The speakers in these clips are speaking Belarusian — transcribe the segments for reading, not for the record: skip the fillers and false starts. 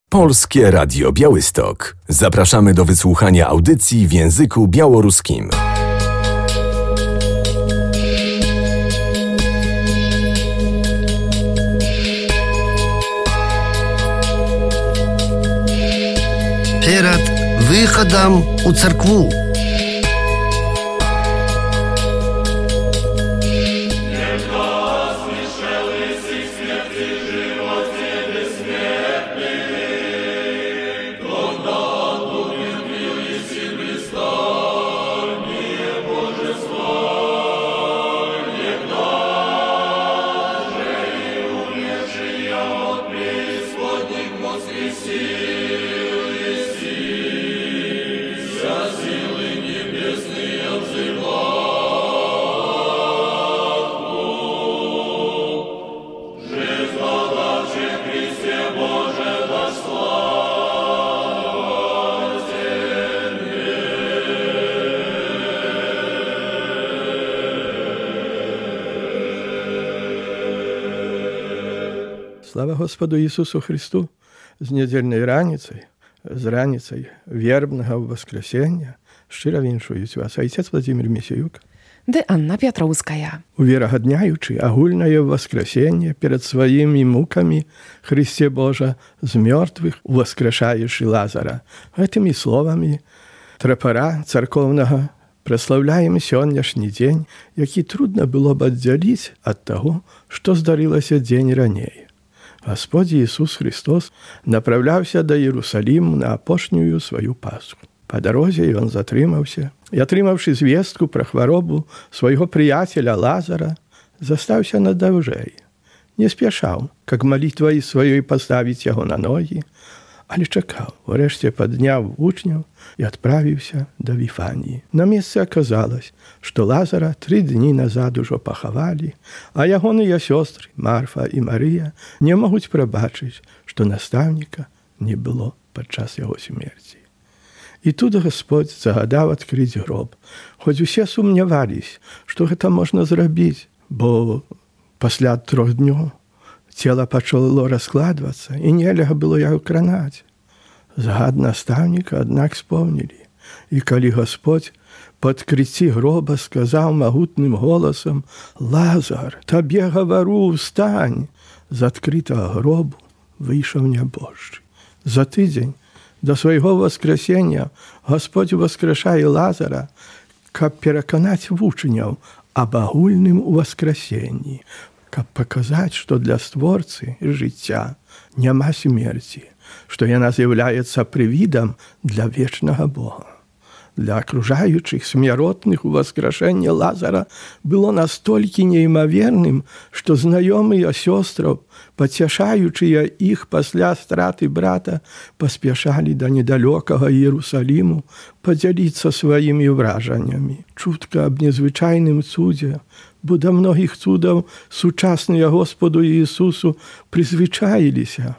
Polskie Radio Białystok. Zapraszamy do wysłuchania audycji w języku białoruskim. Перед выходом у церкву. Слава Господу Иисусу Христу! З недельной раніцай, з раніцай вербнага воскресення шчыра віншуюць вас айцец Владимир Місіюк ды Анна Пятроўская. Уверагадняючы агульнае воскресенне перад сваімі мукамі Христе Божа з мёртвых уваскрэшаеш і Лазара. Гэтымі словамі трапара царкоўнага праслаўляем сённяшні дзень, які трудна было б аддзяліць ад таго, што здарылася дзень раней. Господь Иисус Христос направляўся да Иерусалиму на апошнюю сваю Пасху. Па дарозе ён затрымаўся і, атрымаўшы звестку пра хваробу свайго прыяцеля Лазара, застаўся надаўжэй. Не спяшаў, как малітвай сваёй паставіць яго на ногі, але чакаў, урэшце падняў вучняў і адправіўся да Віфаніі. На месцы аказалось, што Лазара 3 дні назад ужо пахавалі, а ягоныя сёстры Марфа і Марыя не могуць прабачыць, што настаўніка не было падчас яго смерці. І тут Господь загадаў адкрыць гроб, хоць усе сумнявались, што гэта можна зрабіць, бо пасля 3 днёў цела пачало раскладвацца, і нельга было яго кранаць. Загад настаўніка, аднак, спомнілі. І калі Господь па адкрыцці гроба сказаў магутным голасам: «Лазар, табе гавару, устань!» З адкрытага гробу выйшаў нябожчы. За тыдзень да свайго воскресення Господь воскрешае Лазара, каб пераканаць вучняў аб агульным уваскресенні, каб паказаць, што для створцы жыцця няма смерці, што яна з'яўляецца прывідам для вечнага Бога. Для акружаючых смяротных уваскрашэнне Лазара было настолькі неймаверным, што знаёмыя сёстраў, пацяшаючыя іх пасля страты брата, паспяшалі да недалёкага Іерусаліму падзяліцца сваімі ўражаннямі. Чутка аб незвычайным цудзе, бо да многіх цудаў сучасныя Господу Іісусу прызвычаіліся,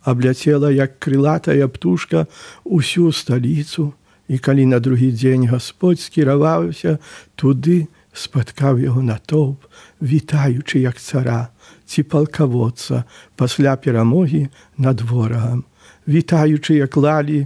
абляцела, як крылатая птушка, усю сталіцу, і калі на другі дзень Господь скіраваўся туды, спаткаў яго натоўп, вітаючы як цара ці палкаводца пасля перамогі над ворагам, вітаючы, як клалі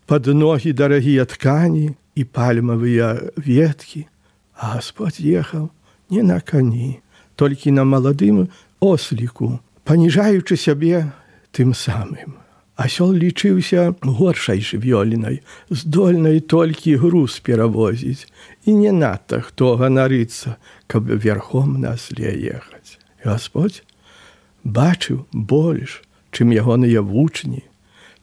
пад ногі дарагія ткані і пальмавыя веткі. А Господь ехаў не на кані, толькі на маладым осліку, паніжаючы сябе тым самым. Асёл лічыўся горшай жывёлінай, здольнай толькі груз перавозіць, і не надта хто ганарыцца, каб верхом на асле ехаць. Господь бачыў больш, чым ягоныя вучні,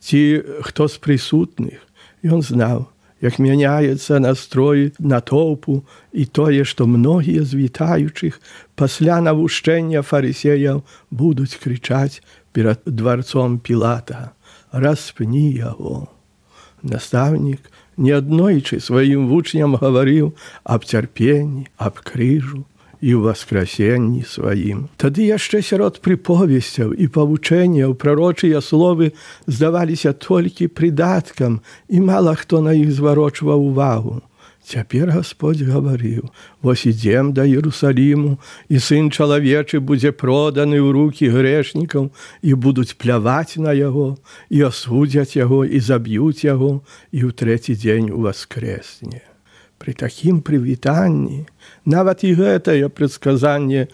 ці хто з прысутных. Ён знаў, як мяняецца настрой натоўпу і тое, што многія з вітаючых пасля навушчэння фарысеяў будуць крычаць перад дварцом Пілата: «Распні яго!» Настаўнік неаднойчы сваім вучням гаварыў аб цярпенні, аб крыжу і ўваскрасенні сваім. Тады яшчэ сярод прыповесцяў і павучэнняў прарочыя словы здаваліся толькі прыдаткам, і мала хто на іх зварочваў увагу. Цяпер Гасподзь гаварыў: «Вось ідзем да Іерусаліму, і Сын чалавечы будзе проданы ў рукі грэшнікаў, і будуць пляваць на яго, і асудзяць яго, і заб'юць яго, і ў трэці дзень уваскрэсне». Пры такім прывітанні нават і гэтае прадказанне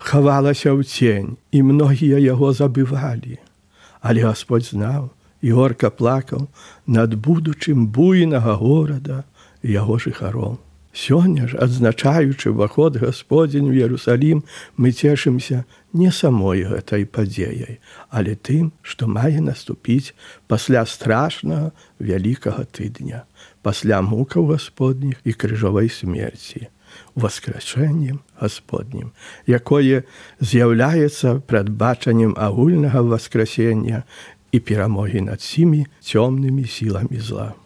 хавалася ў цень, і многія яго забывалі. Але Гасподзь знаў і горка плакаў над будучым буйнага горада і яго жыхароў. Сёння ж, адзначаючы ўваход Гасподзень у Іерусалім, мы цешымся не самой гэтай падзеяй, але тым, што мае наступіць пасля страшнага вялікага тыдня, пасля мукаў Гасподніх і крыжовай смерці, уваскрэшэннем Гасподнім, якое з'яўляецца прадбачаннем агульнага васкрасення і перамогі над сімі цёмнымі сіламі зла.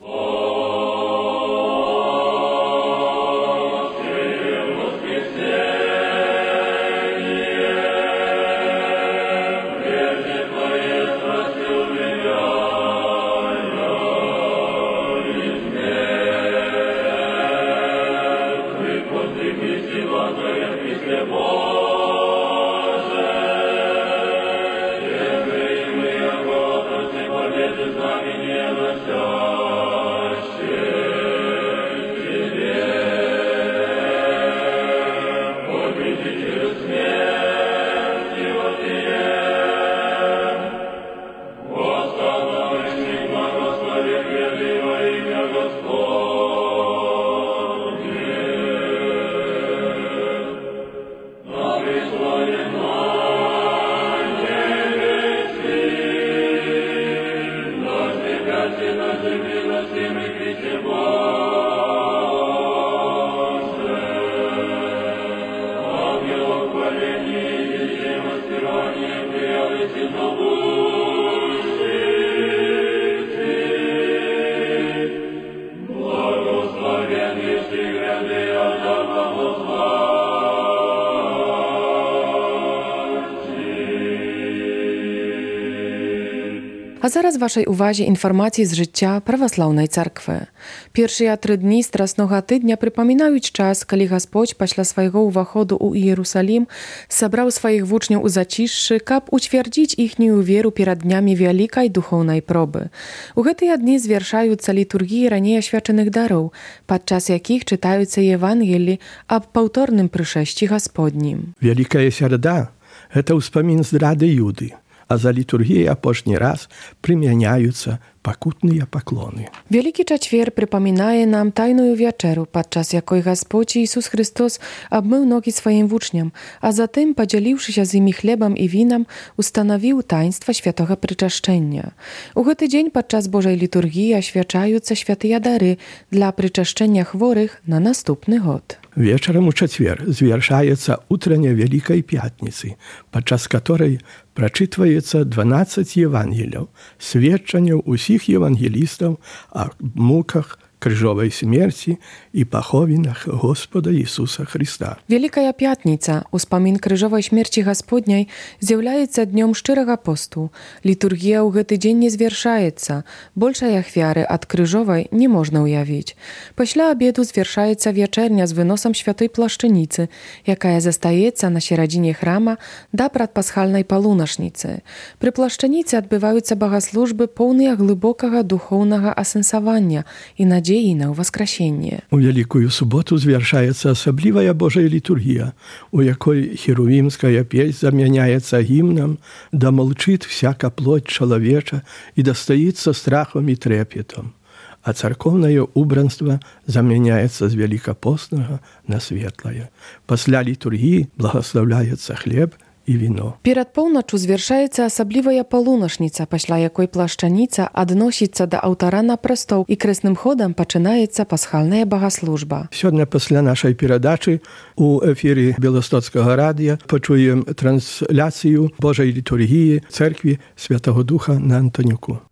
А зараз вашай увазе інфармацыі з жыцця праваслаўнай царквы. Першыя 3 дні страснога тыдня прыпамінаюць час, калі Гасподзь пасля свайго ўваходу ў Іерусалім сабраў сваіх вучняў у зацішшы, каб уцвярдзіць іхнюю веру перад днямі вялікай духоўнай пробы. У гэтыя дні звяршаюцца літургіі раней асвячаных дароў, падчас якіх чытаюцца Евангелі аб паўторным прышэсці Гасподнім. Вялікая сярэда – гэта ўспамін здрады Юды, а за літургіяй апошні раз прымяняюцца пакутныя паклоны. Вялікі чацвер прыпамінае нам тайную вячэру, падчас якой Гасподзь Ісус Христос абмыў ногі сваім вучням, а затым, падзяліўшыся з імі хлебам і вінам, устанавіў таінства святога прычашчэння. У гэты дзень падчас Божай літургіі асвячаюцца святыя дары для прычашчэння хворых на наступны год. Вечарам у чацвер звяршаецца утрання Вялікай Пятніцы, падчас каторай прачытваецца 12 Евангелияў, сведчанняў усіх евангелістаў о муках, крыжовай смерці і паховінах Господа Ісуса Христа. Вялікая Пятніца, успамін крыжовай смерці Гасподняй, з'яўляецца днём шчырага посту. Літургія ў гэты дзень не звяршаецца. Большай ахвяры ад крыжовай не можна ўявіць. Пасля абеду звяршаецца вячэрня з выносам святой плашчаніцы, якая застаецца на сярэдзіне храма да прадпасхальнай палунашніцы. Пры плашчаніцы адбываюцца багаслужбы, поўныя глыбокага духоўнага асэнсавання і надзеі на ўваскрасенне. У Вялікую суботу звяршаецца асаблівая Божая літургія, у якой херувімская песнь замяняецца гімнам «Да молчит всяка плоть чалавеча і дастаіцца страхом і трепетом», а царкоўнае убранства замяняецца з вялікапоснага на светлае. Пасля літургіі благаслаўляецца хлеб і віно. Перад поўначчу звяршаецца асаблівая палунашніца, пасля якой плашчаніца адносіцца да аўтара на прастоў і крэсным ходам пачынаецца пасхальная багаслужба. Сёння пасля нашай перадачы у эфіры Беластоцкага радыя пачуем трансляцыю Божай літургіі цэркві Святого Духа на Антонюку.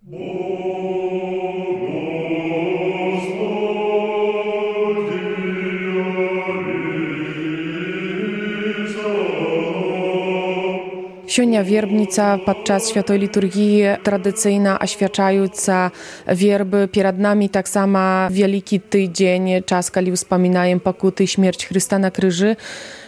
Сёння вербніца падчас святой літургіі традыцыйна асвячаюцца вербы. Перад намі таксама вялікі тыдзень, час, калі ўспамінаем пакуты і смерць Хрыста на крыжы.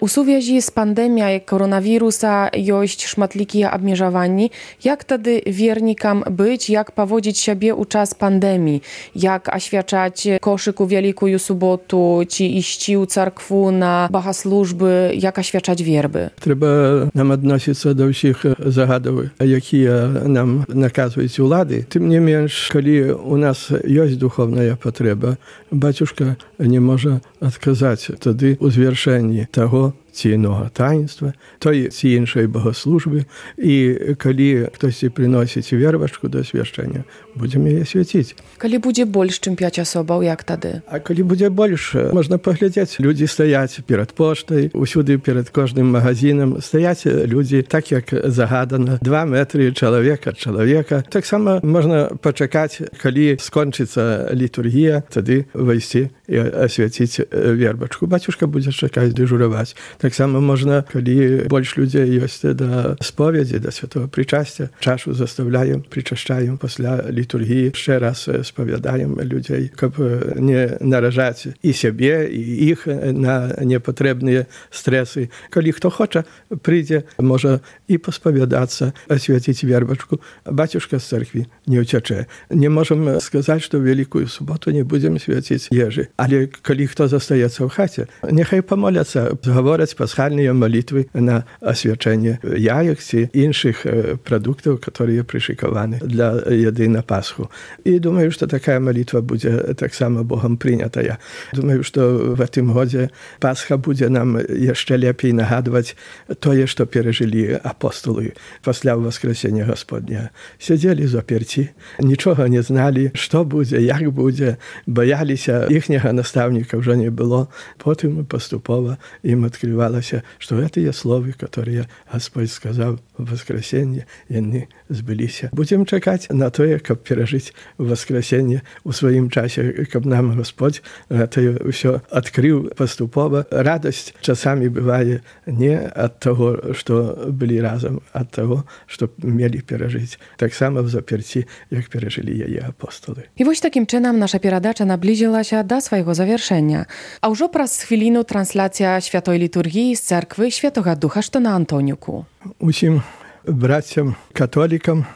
У сувязі з пандэміяй коронавіруса ёсць шматлікія абмежаванні. Як тады вернікам быць, як паводзіць сябе ў час пандэміі? Як асвячаць кошык у Вялікую суботу, ці ісці ў царкву на багаслужбы, як асвячаць вербы? Трэба нам адносіцца да ўсіх загадаў, якія нам наказваюць улады. Тым не менш, калі у нас ёсць духовная патрэба, бацюшка не можа адказаць тады ў звяршэнні таго ці інога таінства, той ці іншай богослужбы. І калі хтосьці прыносіць вербачку да свяшчэння, будзем яе свяціць. Калі будзе больш, чым 5 асобаў, як тады? А калі будзе больш, можна паглядзець. Людзі стаяць перад поштай, усюды перад кожным магазинам стаяць людзі так, як загадана, 2 метры чалавек ад чалавека. Таксама можна пачакаць, калі скончыцца літургія, тады выйсці і асвяціць вербачку. Бацюшка будзе чакаць, дэжураваць. Таксама можна, калі больш людзей ёсць да споведзі, да святого причасця, чашу заставляем, причашчаем пасля літургіі, яшчэ раз спавядаем людзей, каб не наражаць і сябе, і іх на непатрэбныя стрэсы. Калі хто хоча, прыйдзе, можа і паспавядацца, асвяціць вербачку. Бацюшка з царкві не ўцячэ. Не можам сказаць, што ў Вялікую суботу не будзем свяціць ежы. Але калі хто застаецца ў хаце, няхай памоляцца, гавораць пасхальныя малітвы на асвячэнне яек ці іншых прадуктаў, которые прышыкаваны для яды на Пасху. І думаю, што такая малітва будзе таксама Богам прынятая. Думаю, што в гэтым годзе Пасха будзе нам яшчэ лепей нагадваць тое, што перажылі апостолы пасля ўваскрасення Гасподня. Сядзелі заперці, нічога не зналі, што будзе, як будзе, баяліся, іхняга настаўніка ўжо не было. Потым паступова ім открывалася, што гэтыя словы, которые Господь сказаў у воскресенье, яны збыліся. Будзем чакаць на тое, каб перажыць воскресенье у сваім часе, каб нам Господь гэта ўсё адкрыў паступова. Радасць часамі бывае не ад таго, што былі разам, ад таго, што мелі перажыць. Таксама в заперці, як перажылі яе апостолы. І вось такім чынам наша перадача наблізілася да свайго завяршэння. А ўжо праз хвіліну трансляцыя святой літургіі з царквы Святога Духа, што на Антоніку. Усім брацям католікам,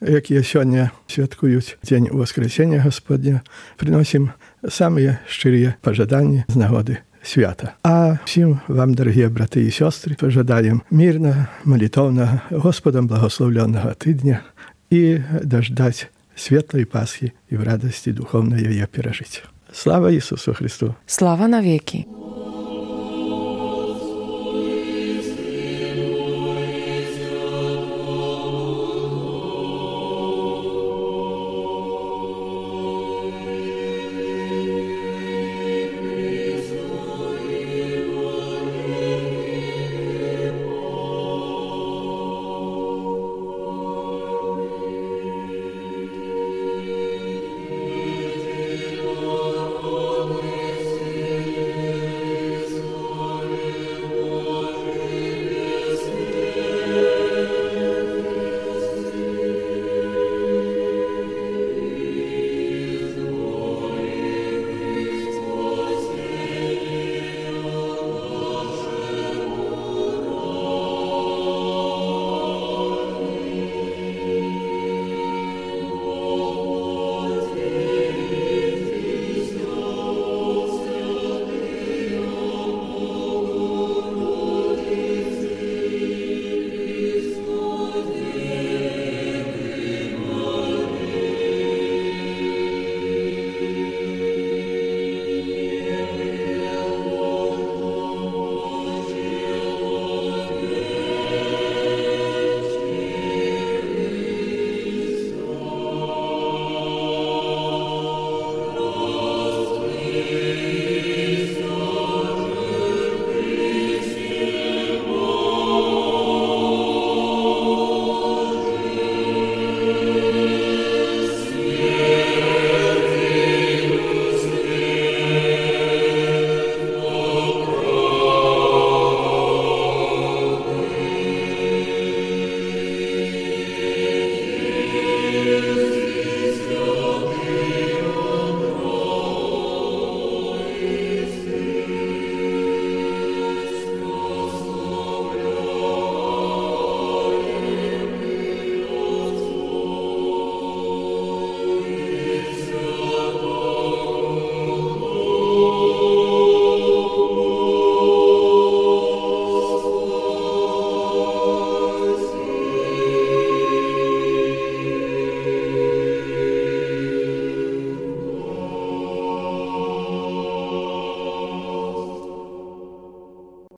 якія сёння святкуюць дзень Воскресення Гасподня, прыносім самыя шчырыя пажаданні з нагоды свята. А всім вам, дарагія браты і сёстры, пажадаем мірна, малітоўнага, Господам благословленага тыдня і даждаць светлай Пасхі і в радасці духовнай яе перажыць. Слава Ісусу Христу! Слава навеки!